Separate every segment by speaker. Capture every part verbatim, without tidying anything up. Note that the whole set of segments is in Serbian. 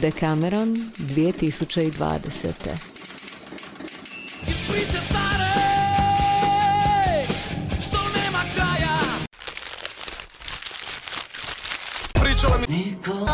Speaker 1: Decameron dvije tisuće dvadesete.
Speaker 2: Priče stare, što nema kraja. Pričala mi niko.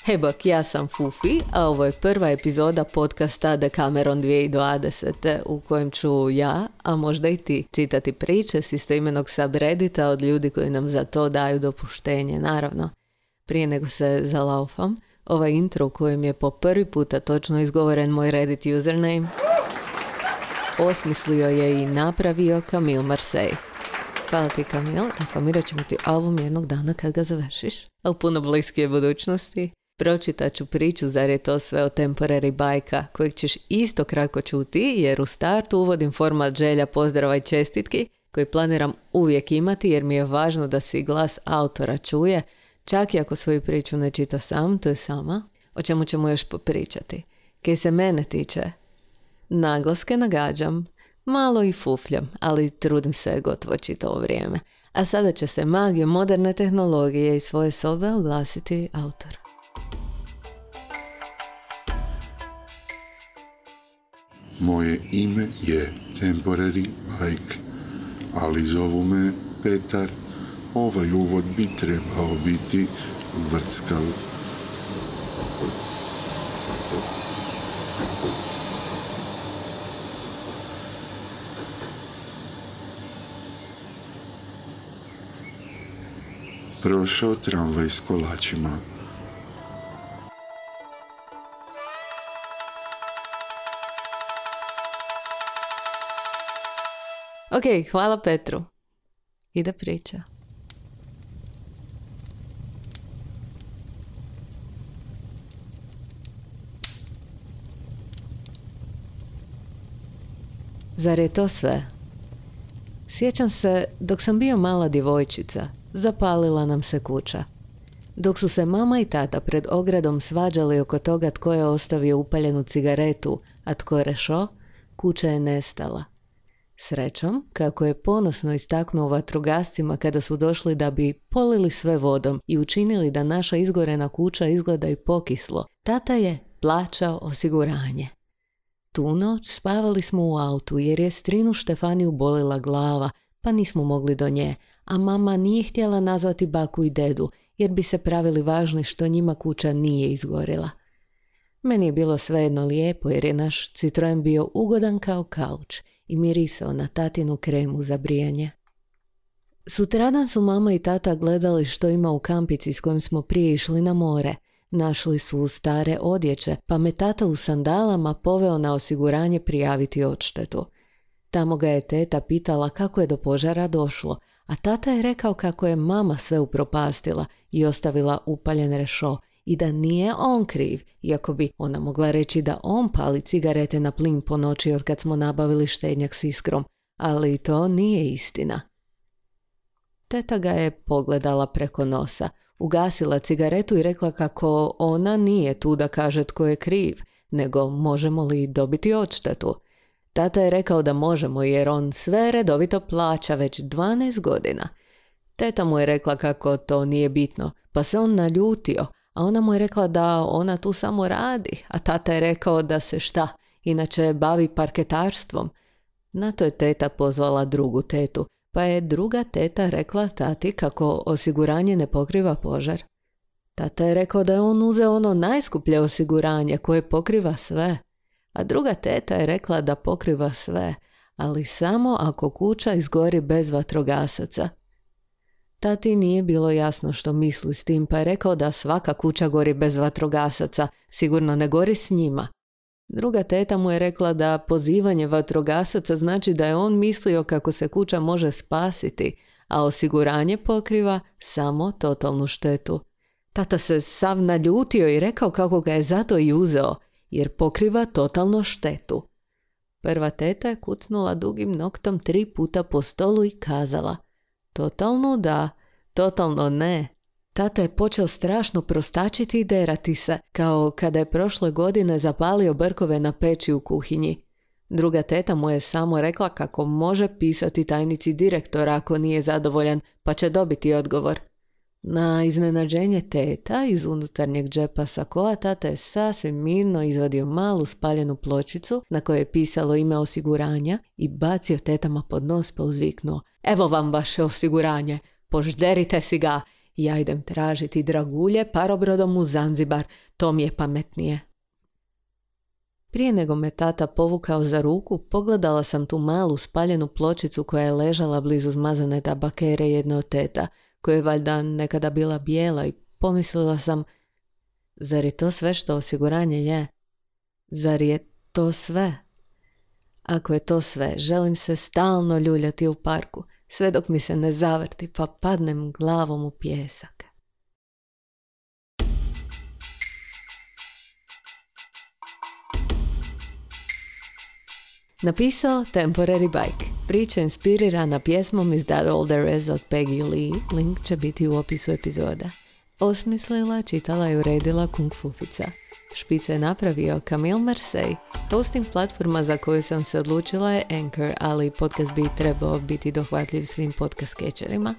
Speaker 1: Hej bok, ja sam Fufi, a ovo je prva epizoda podcasta Decameron dvije tisuće dvadesete u kojem ću ja, a možda i ti, čitati priče s istoimenog subreddita od ljudi koji nam za to daju dopuštenje, naravno. Prije nego se zalaufam, ovaj intro u kojem je po prvi puta točno izgovoren moj Reddit username osmislio je i napravio Camille Marseille. Hvala ti, Camille, reklamirat ćemo ti album jednog dana kad ga završiš, ali puno bliskije budućnosti. Pročitat ću priču, zar je to sve o temporary bajka, kojeg ćeš isto kratko čuti, jer u startu uvodim format želja, pozdrava i čestitki, koji planiram uvijek imati, jer mi je važno da se glas autora čuje, čak i ako svoju priču ne čita sam, to je sama, o čemu ćemo još popričati. Kaj se mene tiče, naglaske nagađam, malo i fufljam, ali trudim se gotovo čitavo vrijeme. A sada će se magijom moderne tehnologije iz svoje sobe oglasiti autor.
Speaker 3: Moje ime je Temporary Bike, ali zovu me Petar. Ovaj uvod bi trebao biti vrckav. Prošao tramvaj s kolačima.
Speaker 1: Ok, hvala Petru. Ide priča. Zar je to sve? Sjećam se, dok sam bio mala djevojčica, zapalila nam se kuća. Dok su se mama i tata pred ogradom svađali oko toga tko je ostavio upaljenu cigaretu, a tko rešo, kuća je nestala. Srećom, kako je ponosno istaknuo vatrogascima kada su došli da bi polili sve vodom i učinili da naša izgorena kuća izgleda i pokislo, tata je plaćao osiguranje. Tu noć spavali smo u autu jer je strinu Štefaniju bolila glava, pa nismo mogli do nje, a mama nije htjela nazvati baku i dedu jer bi se pravili važni što njima kuća nije izgorila. Meni je bilo svejedno lijepo jer je naš Citroen bio ugodan kao kauč i mirisao na tatinu kremu za brijanje. Sutradan su mama i tata gledali što ima u kampici s kojim smo prije išli na more. Našli su stare odjeće, pa me tata u sandalama poveo na osiguranje prijaviti odštetu. Tamo ga je teta pitala kako je do požara došlo, a tata je rekao kako je mama sve upropastila i ostavila upaljen rešo i da nije on kriv, iako bi ona mogla reći da on pali cigarete na plin po noći od kad smo nabavili štednjak s iskrom, ali to nije istina. Teta ga je pogledala preko nosa, ugasila cigaretu i rekla kako ona nije tu da kaže tko je kriv, nego možemo li dobiti odštetu. Tata je rekao da možemo jer on sve redovito plaća već dvanaest godina. Teta mu je rekla kako to nije bitno, pa se on naljutio, a ona mu je rekla da ona tu samo radi, a tata je rekao da se šta, inače bavi parketarstvom. Na to je teta pozvala drugu tetu, pa je druga teta rekla tati kako osiguranje ne pokriva požar. Tata je rekao da je on uzeo ono najskuplje osiguranje koje pokriva sve, a druga teta je rekla da pokriva sve, ali samo ako kuća izgori bez vatrogasaca. Tati nije bilo jasno što misli s tim, pa je rekao da svaka kuća gori bez vatrogasaca, sigurno ne gori s njima. Druga teta mu je rekla da pozivanje vatrogasaca znači da je on mislio kako se kuća može spasiti, a osiguranje pokriva samo totalnu štetu. Tata se sav naljutio i rekao kako ga je zato i uzeo, jer pokriva totalno štetu. Prva teta je kucnula dugim noktom tri puta po stolu i kazala: totalno da, totalno ne. Tata je počeo strašno prostačiti i derati se, kao kada je prošle godine zapalio brkove na peći u kuhinji. Druga teta mu je samo rekla kako može pisati tajnici direktora ako nije zadovoljan, pa će dobiti odgovor. Na iznenađenje teta iz unutarnjeg džepa sakoa tata je sasvim mirno izvadio malu spaljenu pločicu na kojoj je pisalo ime osiguranja i bacio tetama pod nos pa uzviknuo: evo vam vaše osiguranje, požderite si ga, ja idem tražiti dragulje parobrodom u Zanzibar, to mi je pametnije. Prije nego me tata povukao za ruku, pogledala sam tu malu spaljenu pločicu koja je ležala blizu zmazane tabakere jedne od teta, koja je valjda nekada bila bijela, i pomislila sam, zar je to sve što osiguranje je? Zar je to sve? Ako je to sve, želim se stalno ljuljati u parku, sve dok mi se ne zavrti pa padnem glavom u pijesak. Napisao Temporary Bike. Priča inspirirana pjesmom Is That All There Is od Peggy Lee. Link će biti u opisu epizoda. Osmislila, čitala i uredila Kung Fufica. Špice je napravio Camille Marseille. Hosting platforma za koju sam se odlučila je Anchor, ali podcast bi trebao biti dohvatljiv svim podcast skečerima,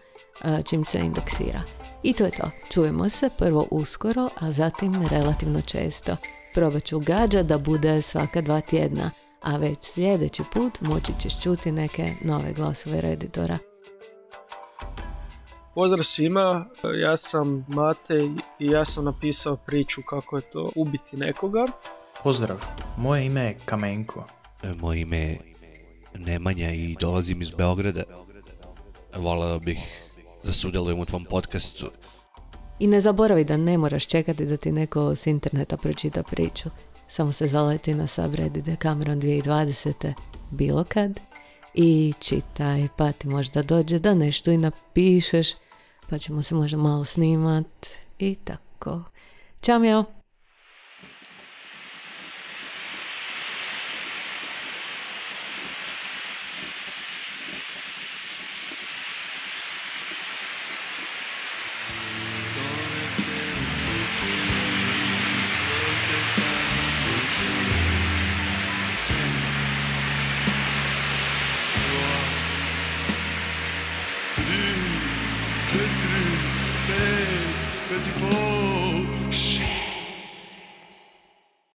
Speaker 1: čim se indeksira. I to je to. Čujemo se prvo uskoro, a zatim relativno često. Probat ću gađa da bude svaka dva tjedna, a već sljedeći put moći ćeš čuti neke nove glasove Redditora.
Speaker 4: Pozdrav svima, ja sam Matej i ja sam napisao priču kako je to ubiti nekoga.
Speaker 5: Pozdrav, moje ime je Kamenko.
Speaker 6: Moje ime je Nemanja i dolazim iz Beograda. Voleo bih da sudjelujem u tvom podcastu.
Speaker 1: I ne zaboravi da ne moraš čekati da ti neko s interneta pročita priču. Samo se zaleti na subreddit Decameron dvije tisuće dvadesete bilo kad i čitaj, pa ti možda dođe da nešto i napišeš, pa ćemo se možda malo snimat i tako. Ćao, mjau!